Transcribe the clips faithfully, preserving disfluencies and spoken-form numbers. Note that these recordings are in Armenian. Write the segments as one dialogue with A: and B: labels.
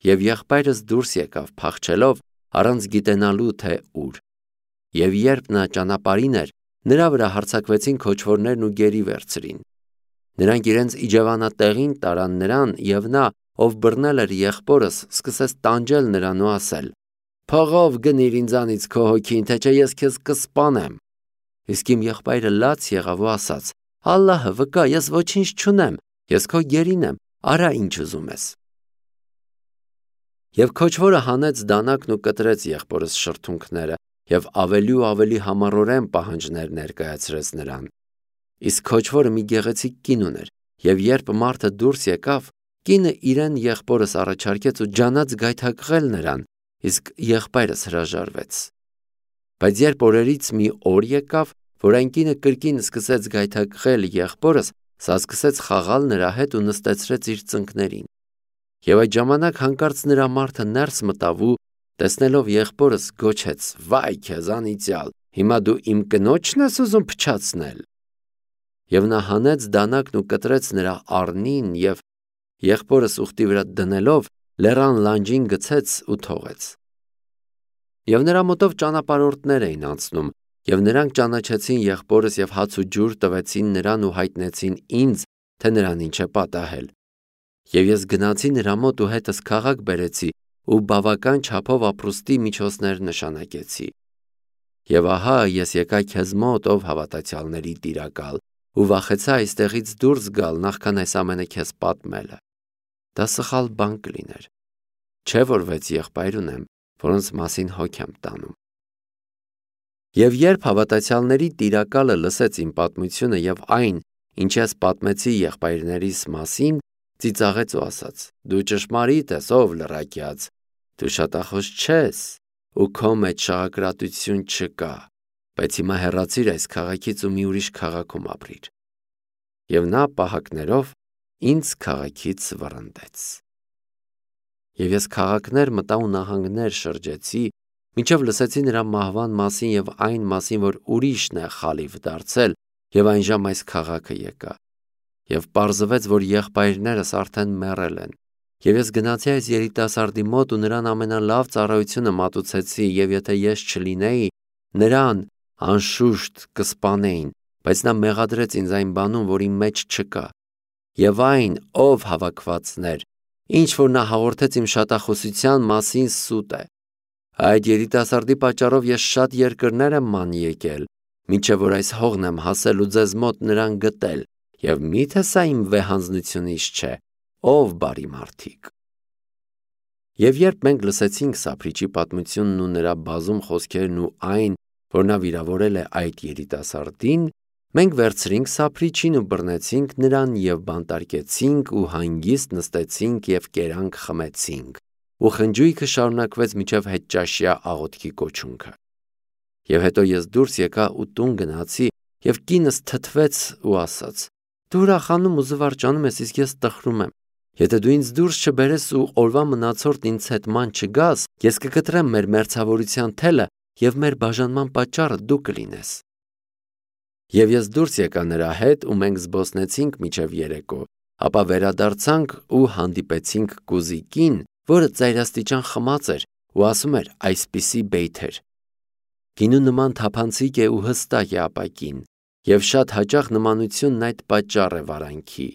A: և եղբայրս դուրս եկավ փախչելով առանց գիտենալու թե ուր։ Եվ երբ նա ճանապարհին էր, նրա վրա հարձակվեցին քոչվորներն ու գերի վերցրին։ Նրանք իրենց իջևանատեղին տարան նրան, և նա, ով բռնել էր եղբորս, սկսեց տանջել նրան ու ասել. «Փողով գնիր ինձանից քո հոգին, թե չէ ես քեզ կսպանեմ»։ Իսկ իմ եղբայրը լաց եղավ ու ասաց. «Ալլահը վկա, ես ոչինչ չունեմ, ես քո գերին եմ, արա ինչ ուզում ես»։ Եվ քոչվորը հանեց դանակն ու կտրեց եղբորս շրթունքները և ավելի ու ավելի համառորեն պահանջներ ներկայացրեց նրան։ Իսկ քոչվորը մի գեղեցիկ կին ուներ, և երբ մարդը դուրս եկավ, կինը իրեն եղբորս առաջարկեց ու ջանաց գայթակղել նրան, իսկ եղբայրս հրաժարվեց։ Բայց երբ օրերից մի օր եկավ, որ այն կինը կրկին սկսեց գայթակղել եղբորս, սա սկսեց խաղալ նրա հետ ու նստեցրեց իր ծնկներին։ Եվ այդ ժամանակ հանկարծ նրա մարդը ներս մտավ ու, տեսնելով եղբորս, գոչեց. «Վայ քեզ անիծյալ, հիմա դու իմ կնոջն ես ուզում փչացնել»։ Եվ նա հանեց դանակն ու կտրեց նրա առնին և եղբորս ուխտի վրա դնելով լեռան լանջին գցեց ու թողեց։ Եվ նրա մոտով ճանապարհորդներ էին անցնում, և նրանք ճանաչեցին եղբորս և հաց ու ջուր տվեցին նրան ու հայտնեցին ինձ, թե նրան ինչ է պատահել։ Եվ ես գնացի նրա մոտ ու հետս քաղաք բերեցի ու բավական չափով ապրուստի միջոցներ նշանակեցի։ Եվ ահա ես եկա քեզ մոտ, ով հավատացյալների տիրակալ, ու վախեցա այստեղից դուրս գալ, նախքան այս ամենը քեզ պատմելը։ Դա սխալ բան կլիներ, չէ՞ որ վեց եղբայր ունեմ, որոնց մասին հոգ եմ տանում։ Եվ երբ հավատացյալների տիրակալը լսեց իմ պատմությունը և այն, ինչ ես պատմեցի եղբայրներիս մասին, ծիծաղեց ու ասաց. «Դու ճշմարիտ ես, ով լռակյաց, դու շատախոս չես, ու քո մեջ շաղակրատություն չկա, բայց հիմա հեռացիր այս քաղաքից ու մի ուրիշ քաղաքում ապրիր»։ Եվ նա պահակներով ինձ քաղաքից վռնդեց։ Եվ ես քաղաքներ մտա ու նահանգներ շրջեցի, մինչև լսեցի նրա մահվան մասին և այն մասին, որ ուրիշն է խալիվ դարձել, և այնժամ այս քաղաքը եկա։ Եվ պարզվեց, որ եղբայրներս արդեն մեռել են։ Եվ ես գնացի այս երիտասարդի մոտ ու նրան ամենալավ ծառայությունը մատուցեցի, և եթե ես չլինեի, նրան անշուշտ կսպանեին, բայց նա մեղադրեց ինձ այն բանում, որ իմ մեջ չկա։ Եվ այն, ով հավաքվածներ, ինչ որ նա հաղորդեց իմ շատախոսության մասին, սուտ է։ Այդ երիտասարդի պատճառով ես շատ երկրներ եմ ման եկել, մինչև որ այս հողն եմ հասել ու ձեզ մոտ նրան գտել, և մի՞թե սա իմ վեհանձնությունից չէ, ով բարի մարդիկ։ Եվ երբ մենք լսեցինք Սափրիչի պատմությունն ու նրա բազում խոսքերն ու այն, որ նա վիրավորել է այդ երիտասարդին, մենք վերցրինք Սափրիչին ու բռնեցինք նրան և բանտարկեցինք ու հանգիստ նստեցինք և կերանք խմեցինք, ու խնջույքը շարունակվեց մինչև հետճաշյա աղոթքի կոչունքը։ Եվ հետո ես դուրս եկա ու տուն գնացի, և կինս թթվեց ու ասաց. «Դու ուրախանում ու զվարճանում ես, իսկ ես տխրում եմ։ Եթե դու ինձ դուրս չբերես ու օրվա մնացորդ ինձ հետ ման չգաս, ես կկտրեմ մեր մերձավորության թելը և մեր բաժանման պատճառը դու կլինես»։ Եվ ես դուրս եկա նրա հետ ու մենք զբոսնեցինք մինչև երեկո, ապա վերադարձանք ու հանդիպեցինք կուզիկին, որը ծայրաստիճան խմած էր ու ասում էր այսպիսի բեյթեր. «Գինու նման թափանցիկ է ու հստակ է ապակին, և շատ հաճախ նմանությունն այդ պատճառ է վարանքի։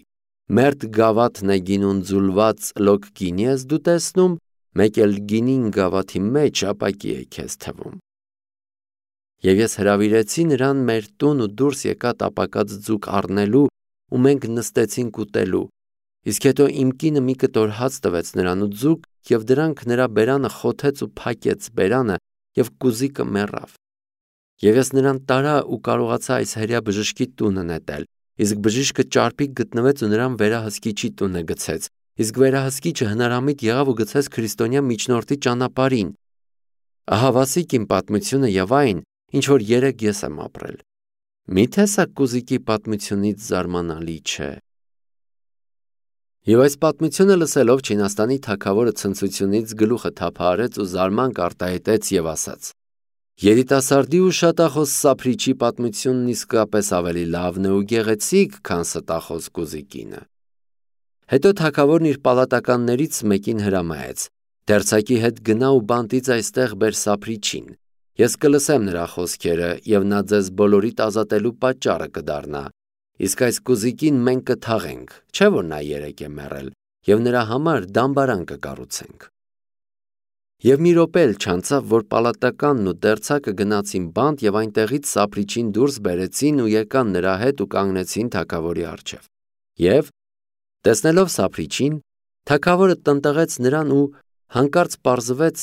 A: Մերթ գավաթն է գինուն ձուլված լոկ գինի ես դու տեսնում, մեկ էլ գինին գավաթի մեջ ապակի է քեզ թվում»։ Եվ ես հրավիրեցի նրան մեր տուն ու դուրս եկա տապակած ձուկ առնելու, ու մենք նստեցինք ուտելու, իսկ հետո իմ կինը մի կտոր հաց տվեց նրան ու ձուկ, և դրանք նրա բերանը խոթեց ու փակեց բերանը, և կուզիկը մեռավ։ Եվ ես նրան տարա ու կարողացա այս հրեա բժշկի տունը նետել, իսկ բժիշկը ճարպիկ գտնվեց ու նրան վերահսկիչի տունը գցեց, իսկ վերահսկիչը հնարամիտ եղավ ու գցեց քրիստոնյա միջնորդի ճանապարհին։ Ահա Վասիկ իմ պատմությունը և այն, ինչ որ երեկ ես եմ ապրել։ Մի՞թե սա կուզիկի պատմությունից զարմանալի չէ։ Եվ այս պատմությունը լսելով Չինաստանի թագավորը ցնծությունից գլուխը թափահարեց ու զարմանք արտահայտեց և ասաց. «Երիտասարդի ու շատախոս Սափրիչի պատմությունն իսկապես ավելի լավն է ու գեղեցիկ, քան ստախոս կուզիկինը»։ Հետո թագավորն իր պալատականներից մեկին հրամայեց. Դերձակի հետ գնա ու բանտից այստեղ բեր սափրիչին։ Ես կլսեմ նրա խոսքերը, եւ նա ձեզ բոլորիդ ազատելու պատճառը կդառնա։ Իսկ այս կուզիկին մենք կթաղենք, չէ՞ որ նա երեք է մեռել, եւ նրա համար դամբարան կկառուցենք։ Եվ մի րոպե էլ չանցավ, որ պալատականն ու դերձակը գնացին բանտ եւ այնտեղից սափրիչին դուրս բերեցին ու եկան նրա հետ ու կանգնեցին թագավորի առջև։ Եվ տեսնելով սափրիչին, թագավորը տնտղեց նրան ու հանկարծ պարզվեց,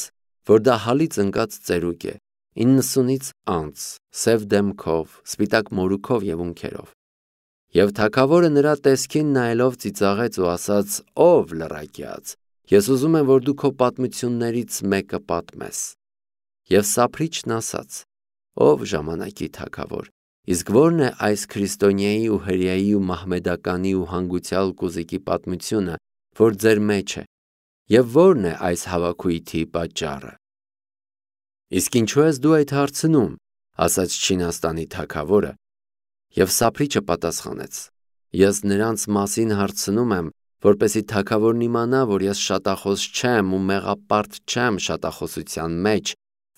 A: որ դա հալից ընկած ծերուկ է, իննսունից անց, սև դեմքով, սպիտակ մորուքով եւ ունքերով։ Եվ թագավորը նրա տեսքին նայելով ծիծաղեց ու ասաց. «Ով լռակյաց, ես ուզում եմ, որ դու քո պատմություններից մեկը պատմես»։ Եվ սափրիչն ասաց. «Ով ժամանակի թագավոր, իսկ ո՞րն է այս քրիստոնյայի ու հրեայի ու մահմեդականի ու հանգուցյալ կուզիկի պատմությունը, որ ձեր մեջ է, եւ ո՞րն է այս հավաքույթի պատճառը»։ «Իսկ ինչու ես դու այդ հարցնում», ասաց Չինաստանի թագավորը։ Եվ սափրիչը պատասխանեց. «Ես նրանց մասին հարցնում եմ, որպեսզի թագավորն իմանա, որ ես շատախոս չեմ ու մեղապարտ չեմ շատախոսության մեջ,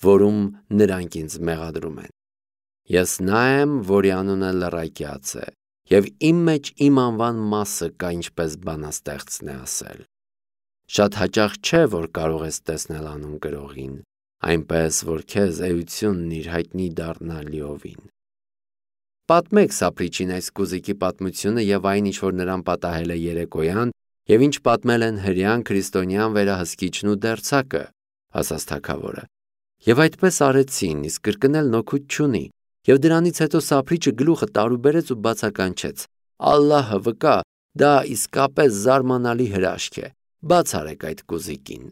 A: որում նրանք ինձ մեղադրում են։ Ես նա եմ, որի անունը լռակյաց է, եւ իմ մեջ իմ անվան մասը կա, ինչպես բանաստեղծն է ասել. շատ հաճախ չէ, որ կարող ես տեսնել անուն գրողին, այնպես որ քեզ էությունն իր հայտնի դառնա լիովին»։ Պատմեք սափրիչին այս կուզիկի պատմությունը եւ այն, ինչ որ նրան պատահել է երեկոյան, եւ ինչ պատմել են հրեան, քրիստոնյան, վերահսկիչն ու դերձակը, ասաց թագավորը։ Եվ այդպես արեցին, իսկ կրկնելն օգուտ չունի։ Եվ դրանից հետո սափրիչը գլուխը տարուբերեց ու բացականչեց. «Ալլահը վկա, դա իսկապես զարմանալի հրաշք է, բաց արեք այդ կուզիկին»։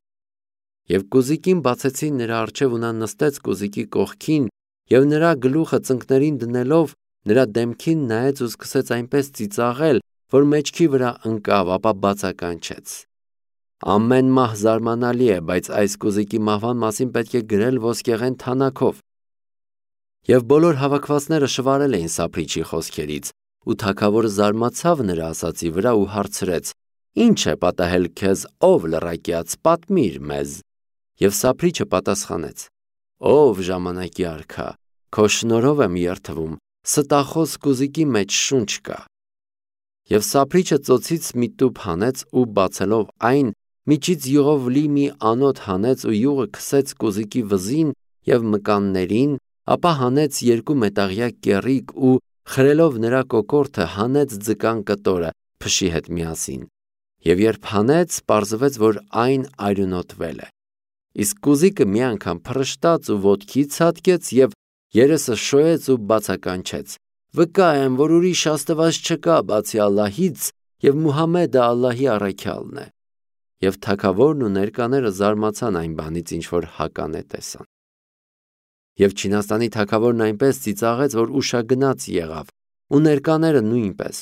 A: Եվ կուզիկին բացեցին նրա առջև ու նա նստեց կուզիկի կողքին եւ նրա գլուխը ծնկներին դնելով նրա դեմքին նայեց ու սկսեց այնպես ծիծաղել, որ մեջքի վրա ընկավ, ապա բացականչեց. «Ամեն մահ զարմանալի է, բայց այս կուզիկի մահվան մասին պետք է գրել ոսկեղեն թանաքով»։ Եվ բոլոր հավաքվածները շվարել էին սափրիչի խոսքերից, ու թագավորը զարմացավ նրա ասածի վրա ու հարցրեց. «Ինչ է պատահել քեզ, ով լռակյաց, պատմիր մեզ»։ Եվ սափրիչը պատասխանեց. «Ով ժամանակի արքա, քո շնորհով եմ երդվում, ստախոս կուզիկի մեջ շունչ կա»։ Եվ սափրիչը ծոցից մի տուփ հանեց ու բացելով այն, միջից յուղով լի մի անոթ հանեց ու յուղը քսեց կուզիկի վզին եւ մկաններին, ապա հանեց երկու մետաղյա կեռիկ ու խրելով նրա կոկորդը հանեց ձկան կտորը փշի հետ միասին։ Եվ երբ հանեց, պարզվեց, որ այն արյունոտվել է։ Իսկ կուզիկը մի անգամ փռշտաց ու ոտքի ցատկեց եւ երեսը շոյեց ու բացականչեց. «Վկա եմ, որ ուրիշ աստված չկա բացի Ալլահից, եւ Մուհամմեդը Ալլահի առաքյալն է»։ Եվ թագավորն ու ներկաները զարմացան այն բանից, ինչ որ հականե տեսան։ Եվ Չինաստանի թագավորն այնպես ծիծաղեց, որ ուշագնաց եղավ, ու ներկաները նույնպես։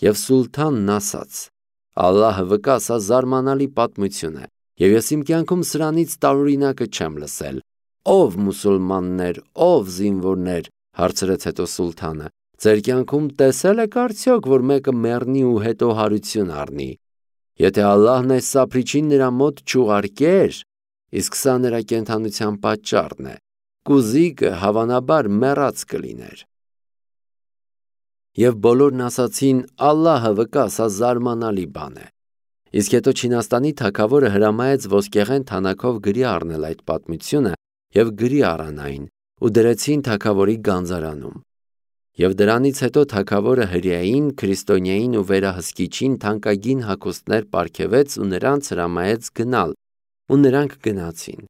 A: Եվ սուլթանն ասաց. «Ալլահը վկա, սա զարմանալի պատմություն է, եւ ես իմ կյանքում սրանից տարօրինակը չեմ լսել։ Ով մուսուլմաններ, ով զինվորներ», հարցրեց հետո սուլթանը, «ձեր կյանքում տեսել եք արդյոք, որ մեկը մեռնի ու հետո հարություն առնի։ Եթե Ալլահն այս սափրիչին նրա մոտ չուղարկեր, իսկ սա նրա կենդանության պատճառն է, կուզիկը հավանաբար մեռած կլիներ»։ Եվ բոլորն ասացին. «Ալլահը վկա, սա զարմանալի բան է»։ Իսկ հետո Չինաստանի թագավորը հրամայեց ոսկեղեն թանաքով գրի առնել այդ պատմությունը եւ գրի առան այն ու դրեցին թագավորի գանձարանում։ Եվ դրանից հետո թագավորը հրեային, քրիստոնյային ու վերահսկիչին թանկագին հագուստներ պարգևեց ու նրանց հրամայեց գնալ, ու նրանք գնացին։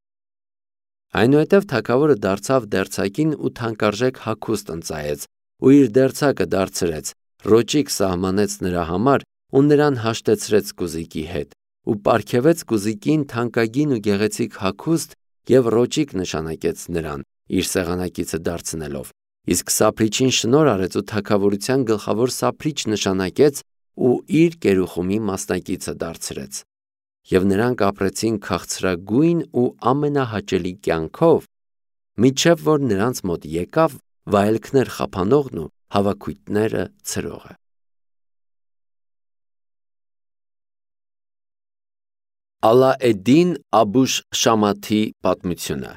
A: Այնուհետև թագավորը դարձավ դերձակին ու թանկարժեք հագուստ ընծայեց ու իր դերձակը դարձրեց, ռոճիկ սահմանեց նրա համար ու նրան հաշտեցրեց կուզիկի հետ ու պարգևեց կուզիկին թանկագին ու գեղեցիկ հագուստ եւ ռոճիկ նշանակեց նրան իր սեղանակիցը դարձնելով, իսկ սափրիչին շնորհ արեց ու թագավորության գլխավոր սափրիչ նշանակեց ու իր կերուխումի մասնակիցը դարձրեց։ Եվ նրանք ապրեցին քաղցրագույն ու ամենահաճելի կյանքով, մինչև որ նրանց մոտ եկավ վայելքներ խափանողն ու հավաքույթները ցրողը։ Ալաեդդին Աբուշ Շամաթի պատմությունը։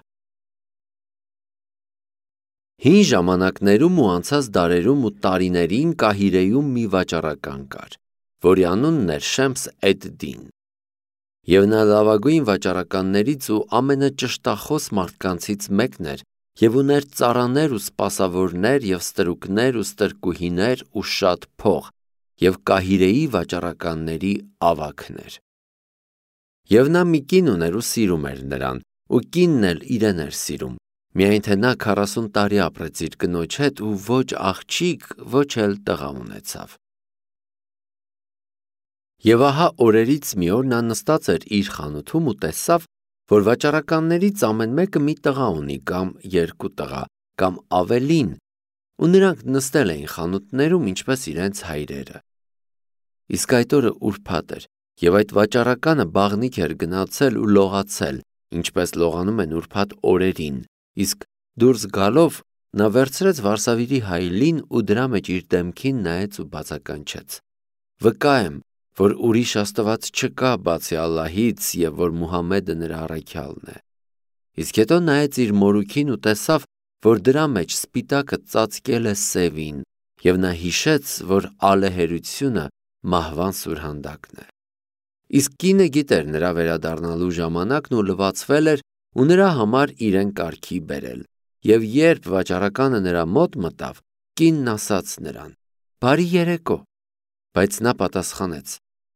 A: Հին ժամանակներում ու անցած դարերում ու տարիներին Կահիրեում մի վաճառական կար, որի անունն էր Շեմս էդ-Դին։ Եվ նա լավագույն վաճառականներից ու ամենաճշտախոս մարդկանցից մեկն էր, և ուներ ծառաներ ու սպասավորներ և ստրուկներ ու ստրկուհիներ ու շատ փող, և Կահիրեի վաճառականների ավագն էր։ Եվ նա մի կին ուներ ու սիրում էր նրան, ու կինն էլ իրեն էր սիրում, միայն թե նա քառասուն տարի ապրեց իր կնոջ հետ ու ոչ աղջիկ, ոչ էլ տղա ունեցավ։ Եվ ահա օրերից մի օր նա նստած էր իր խանութում ու տեսավ, որ վաճառականներից ամեն մեկը մի տղա ունի, կամ երկու տղա, կամ ավելին, ու նրանք նստել էին խանութներում, ինչպես իրենց հայրերը։ Իսկ այդ օրը ուրբաթ էր, և այդ վաճառականը բաղնիք էր գնացել ու լողացել, ինչպես լողանում են ուրբաթ օրերին, իսկ դուրս գալով նա վերցրեց վարսավիրի հայելին ու դրա մեջ իր դեմքին նայեց ու բացականչեց. «Վկա եմ, որ ուրիշ աստված չկա բացի Ալլահից և որ Մուհամմեդը նրա առաքյալն է»։ Իսկ հետո նայեց իր մորուքին ու տեսավ, որ դրա մեջ սպիտակը ծածկել է սևին, և նա հիշեց, որ ալեհերությունը մահվան սուրհանդակն է։ Իսկ կինը գիտեր նրա վերադառնալու ժամանակն ու լվացվել էր ու նրա համար իրեն կարգի բերել, և երբ վաճառականը նրա մոտ մտավ, կինն ասաց նրան. «Բարի երեկո», բայց նա պատասխանեց.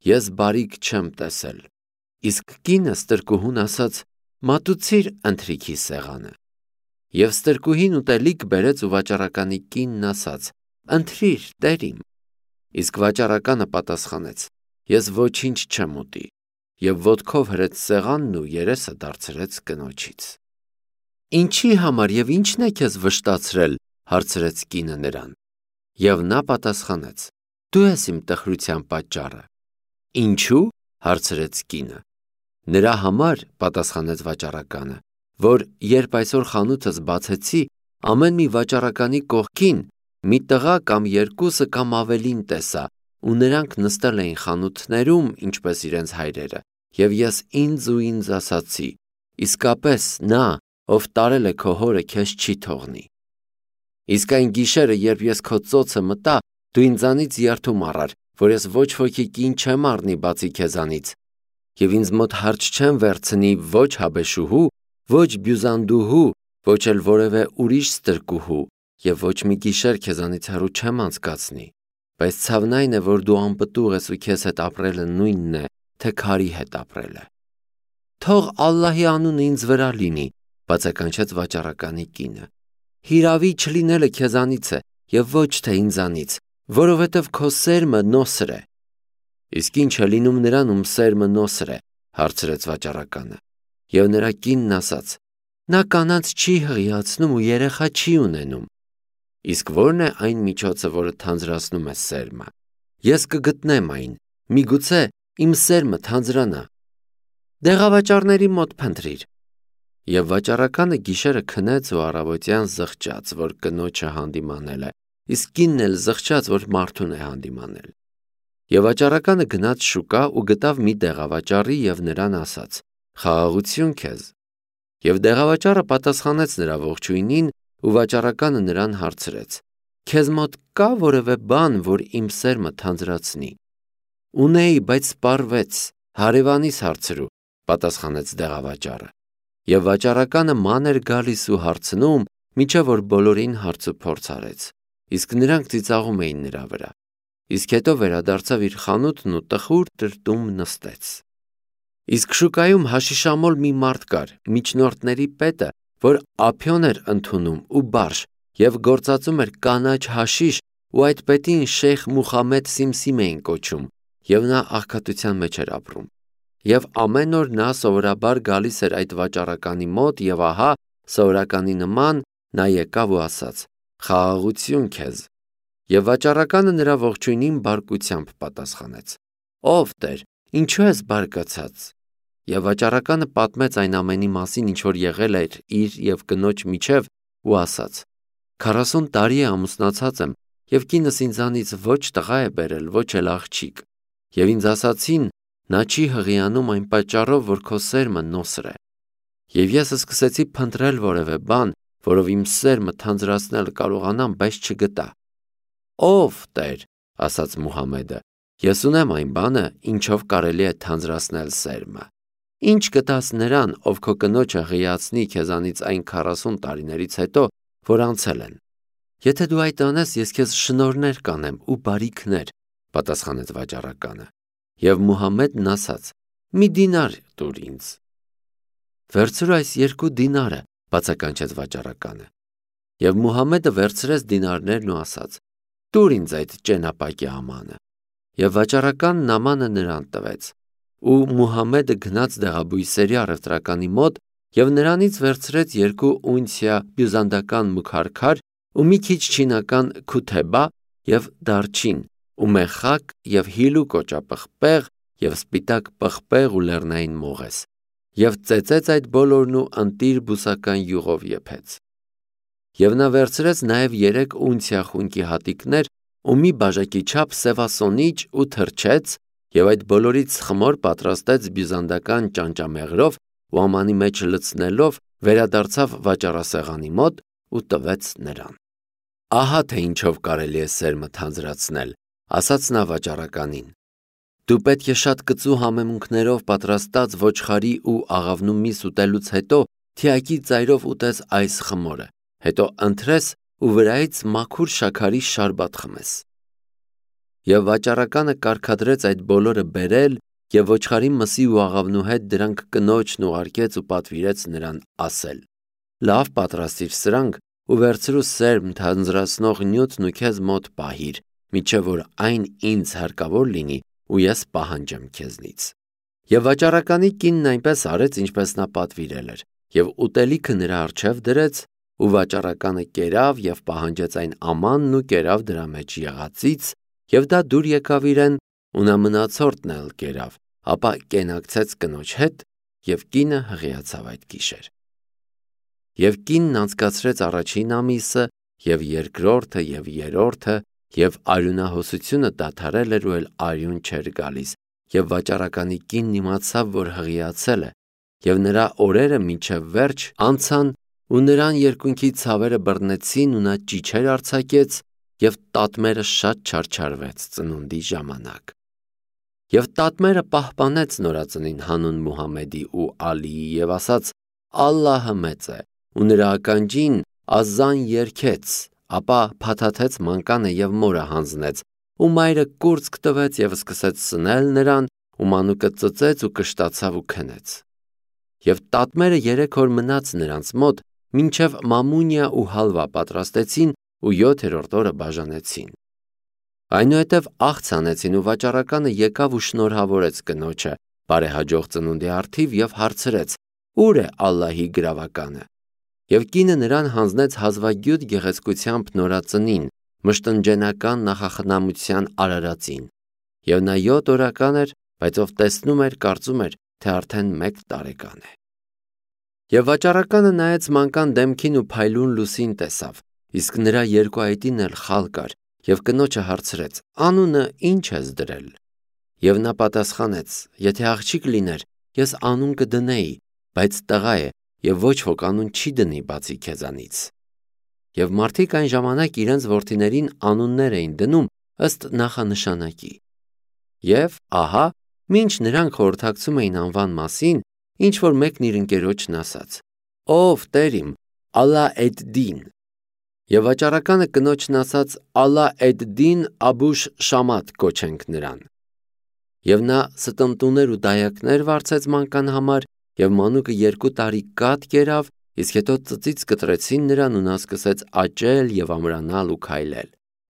A: «Ես բարիք չեմ տեսել»։ Իսկ կինը ստրկուհուն ասաց. «Մատուցիր ընթրիքի սեղանը»։ Եվ ստրկուհին ուտելիք բերեց ու վաճառականի կինն ասաց. «Ընթրիր, տեր իմ»։ Իսկ վաճառականը պատասխանեց. «Ես ոչինչ չեմ ուտի», և ոտքով հրեց սեղանն ու երեսը դարձրեց կնոջից։ «Ինչի համար և ի՞նչն է քեզ վշտացրել», հարցրեց կինը նրան։ Եվ նա պատասխանեց. «Դու ես իմ տխրության պատճառը»։ «Ինչու՞, հարցրեց կինը։ «Նրա համար», պատասխանեց վաճառականը, «որ երբ այսօր խանութս բացեցի, ամեն մի վաճառականի կողքին մի տղա կամ երկուսը կամ ավելին տեսա, ու նրանք նստել էին խանութներում, ինչպես իրենց հայրերը, և ես ինձ ու ինձ ասացի. իսկապես նա, ով տարել է քո հորը, քեզ չի թողնի։ Իսկ այն գիշերը, երբ ես քո ծոցը մտա, դու ինձանից երդում առար, որ ես ոչ ոքի կին չեմ առնի բացի քեզանից, և ինձ մոտ հարճ չեմ վերցնի ոչ Հաբեշուհու, ոչ Բյուզանդուհու, ոչ էլ որևէ ուրիշ ստրկուհու, և ոչ մի գիշեր քեզանից հեռու չեմ անցկացնի, բայց ցավն այն է, որ դու անպտուղ ես ու քեզ հետ ապրելը նույնն է, թե քարի հետ ապրելը»։ «Թող Ալլահի անունը ինձ վրա լինի», բացականչեց վաճառականի կինը։ «Հիրավի չլինելը քեզանից է և ոչ թե ինձանից, որովհետև քո սերմը նոսր է»։ «Իսկ ի՞նչ է լինում նրան, ում սերմը նոսր է», հարցրեց վաճառականը։ Եվ նրա կինն ասաց. «Նա կանանց չի հղիացնում ու երեխա չի ունենում»։ «Իսկ ո՞րն է այն միջոցը, որը թանձրացնում է սերմը։ Ես կգտնեմ այն, միգուցե իմ սերմը թանձրանա»։ «Դեղավաճառների մոտ փնտրիր»։ Եվ վաճառականը գիշերը քնեց ու առավոտյան զղջաց, որ կնոջը հանդիմանել է, իսկ կինն էլ զղջաց, որ մարդուն է հանդիմանել։ Եվ վաճառականը գնաց շուկա ու գտավ մի դեղավաճառի և նրան ասաց. «Խաղաղություն քեզ»։ Եվ դեղավաճառը պատասխանեց նրա ողջույնին, ու վաճառականը նրան հարցրեց. «Քեզ մոտ կա՞ որևէ բան, որ իմ սերմը թանձրացնի»։ «Ունեի, բայց սպառվեց, հարևանիս հարցրու», պատասխանեց դեղավաճառը։ Եվ վաճառականը ման էր գալիս ու հարցնում, մինչև որ բոլորին հարցուփորձ արեց, իսկ նրանք ծիծաղում էին նրա վրա։ Իսկ հետո վերադարձավ իր խանութն ու տխուր տրտում նստեց։ Իսկ շուկայում հաշիշամոլ մի մարդ կար, միջնորդների պետը, որ ափիոն էր ընդունում ու բարշ, և գործածում էր կանաչ հաշիշ, ու այդ պետին Շեյխ Մուխամմեդ Սիմսիմ էին կոչում, և նա աղքատության մեջ էր ապրում։ Եվ ամեն օր նա սովորաբար գալիս էր այդ վաճառականի մոտ, և ահա, սովորականի նման, նա եկավ ու ասաց. «Խաղաղություն քեզ»։ Եվ վաճառականը նրա ողջույնին բարկությամբ պատասխանեց. «Ով Տեր, ինչու ես բարկացած»։ Եվ վաճառականը պատմեց այն ամենի մասին, ինչ որ եղել էր իր և կնոջ միջև, ու ասաց. «Քառասուն տարի է ամուսնացած եմ, և կինս ինձանից ոչ տղա է բերել, ոչ էլ աղջիկ, և ինձ ասացին, նա չի հղիանում այն պատճառով, որ քո սերմը նոսր է։ Եվ ես սկսեցի փնտրել որևէ բան, որով իմ սերմը թանձրացնել կարողանամ, բայց չգտա։ Ով Տեր, ասաց Մուհամեդը, ես ունեմ այն բանը, ինչով կարելի է թանձրացնել սերմը։ Ինչ կտաս նրան, ով քո կնոջը հղիացնի քեզանից այն քառասուն տարիներից հետո, որ անցել են։ Եթե դու այդ անես, ես քեզ շնորհներ կանեմ ու բարիքներ, պատասխանեց վաճառականը։ Եվ Մուհամեդն ասաց. մի դինար տուր ինձ։ Վերցրու այս երկու դինարը, բացականչեց վաճառականը։ Եվ Մուհամեդը վերցրեց դինարներն ու ասաց. տուր ինձ այդ ճենապակյա ամանը։ Եվ վաճառականն ամանը նրան տվեց։ Ու Մուհամեդը գնաց դեղաբույսերի առևտրականի մոտ և նրանից վերցրեց երկու ունցիա բյուզանդական մուքարքար ու մի քիչ չինական քութեբա և դարչին ու մեխակ և հիլու կոճապղպեղ և սպիտակ պղպեղ ու լեռնային մողես և ծեծեց այդ բոլորն ու ընտիր բուսական յուղով եփեց։ Եվ նա վերցրեց նաև երեք ունցիա խունկի հատիկներ ու մի բաժակի չափ սևասոնիչ ու թրջեց և այդ բոլորից խմոր պատրաստեց բյուզանդական ճանճամեղրով ու ամանի մեջ լցնելով վերադարձավ վաճառասեղանի մոտ ու տվեց նրան։ Ահա թե ինչով կարելի է սերմը թանձրացնել, ասաց նա վաճառականին։ Դու պետք է շատ կծու համեմունքներով պատրաստած ոչխարի ու աղավնու միս ուտելուց հետո թիակի ծայրով ուտես այս խմորը, հետո ընթրես ու վրայից մաքուր շաքարի շարբաթ խմես։ Եվ վաճառականը կարգադրեց այդ բոլորը բերել և ոչխարի մսի ու աղավնու հետ դրանք կնոջն ուղարկեց ու պատվիրեց նրան ասել. լավ պատրաստիր սրանք ու վերցրու սերմ թանձրացնող նյութն ու քեզ մոտ պահիր, մինչև որ այն ինձ հարկավոր լինի ու ես պահանջեմ քեզնից։ Եվ վաճառականի կինն այնպես արեց, ինչպես նա պատվիրել էր, և ուտելիքը նրա առջև դրեց, ու վաճառականը կերավ և պահանջեց այն ամանն ու կերավ դրա մեջ եղածից, և դա դուր եկավ իրեն, ու նա մնացորդն էլ կերավ, ապա կենակցեց կնոջ հետ, և կինը հղիացավ այդ գիշեր։ Եվ կինն անցկացրեց առաջին ամիսը, և երկրորդը, և երրորդը, և արյունահոսությունը դադարել էր ու էլ արյուն չէր գալիս, և վաճառականի կինն իմացավ, որ հղիացել է, և նրա օրերը մինչև վերջ անցան, ու նրան երկունքի ցավերը բռնեցին ու նա ճիչեր արձակեց, և տատմերը շատ չարչարվեց ծնունդի ժամանակ։ Եվ տատմերը պահպանեց նորածնին հանուն Մուհամեդի ու Ալիի և ասաց. Ալլահը մեծ է, ու նրա ականջին ազան երգեց, ապա փաթաթեց մանկանը և մորը հանձնեց, ու մայրը կուրծք տվեց և սկսեց սնել նրան, ու մանուկը ծծեց ու կշտացավ ու քնեց։ Եվ տատմերը երեք օր մնաց նրանց մոտ, մինչև մամունիա ու հալվա պատրաստեցին ու յոթերորդ օրը բաժանեցին։ Այնուհետև աղց անեցին ու վաճառականը եկավ ու շնորհավորեց կնոջը բարեհաջող ծնունդի առթիվ և հարցրեց. Ո՞ւր է Ալլահի գրավականը։ Եվ կինը նրան հանձնեց հազվագյուտ գեղեցկությամբ նորածնին, մշտնջենական նախախնամության արարածին։ Եվ նա յոթ օրական էր, բայց ով տեսնում էր, կարծում էր, թե արդեն մեկ տարեկան է։ Եվ վաճառականը նայեց մանկան դեմքին ու փայլուն լուսին տեսավ, իսկ նրա երկու այտին էլ խալ կար, և կնոջը հարցրեց. Անունը ի՞նչ ես դրել։ Եվ նա պատասխանեց. Եթե աղջիկ լիներ, ես անուն կդնեի, բայց տղա է, և ոչ ոք անուն չի դնի բացի քեզանից։ Եվ մարդիկ այն ժամանակ իրենց որդիներին անուններ էին դնում ըստ նախանշանակի։ Եվ ահա, մինչ նրանք խորհրդակցում էին անվան մասին, ինչ որ մեկն իր ընկերոջն ասաց. Ով Տեր իմ, Ալա էդ-Դին։ Եվ վաճառականը կնոջն ասաց. Ալա էդ-Դին Աբուշ Շամաթ կոչենք նրան։ Եվ նա ստմտուներ ու դայակներ վարձեց մանկան համար, և մանուկը երկու տարի կաթ կերավ, իսկ հետո ծծից կտրեցին նրան ու նա սկսեց աճել և ամրանալ ու քայլել։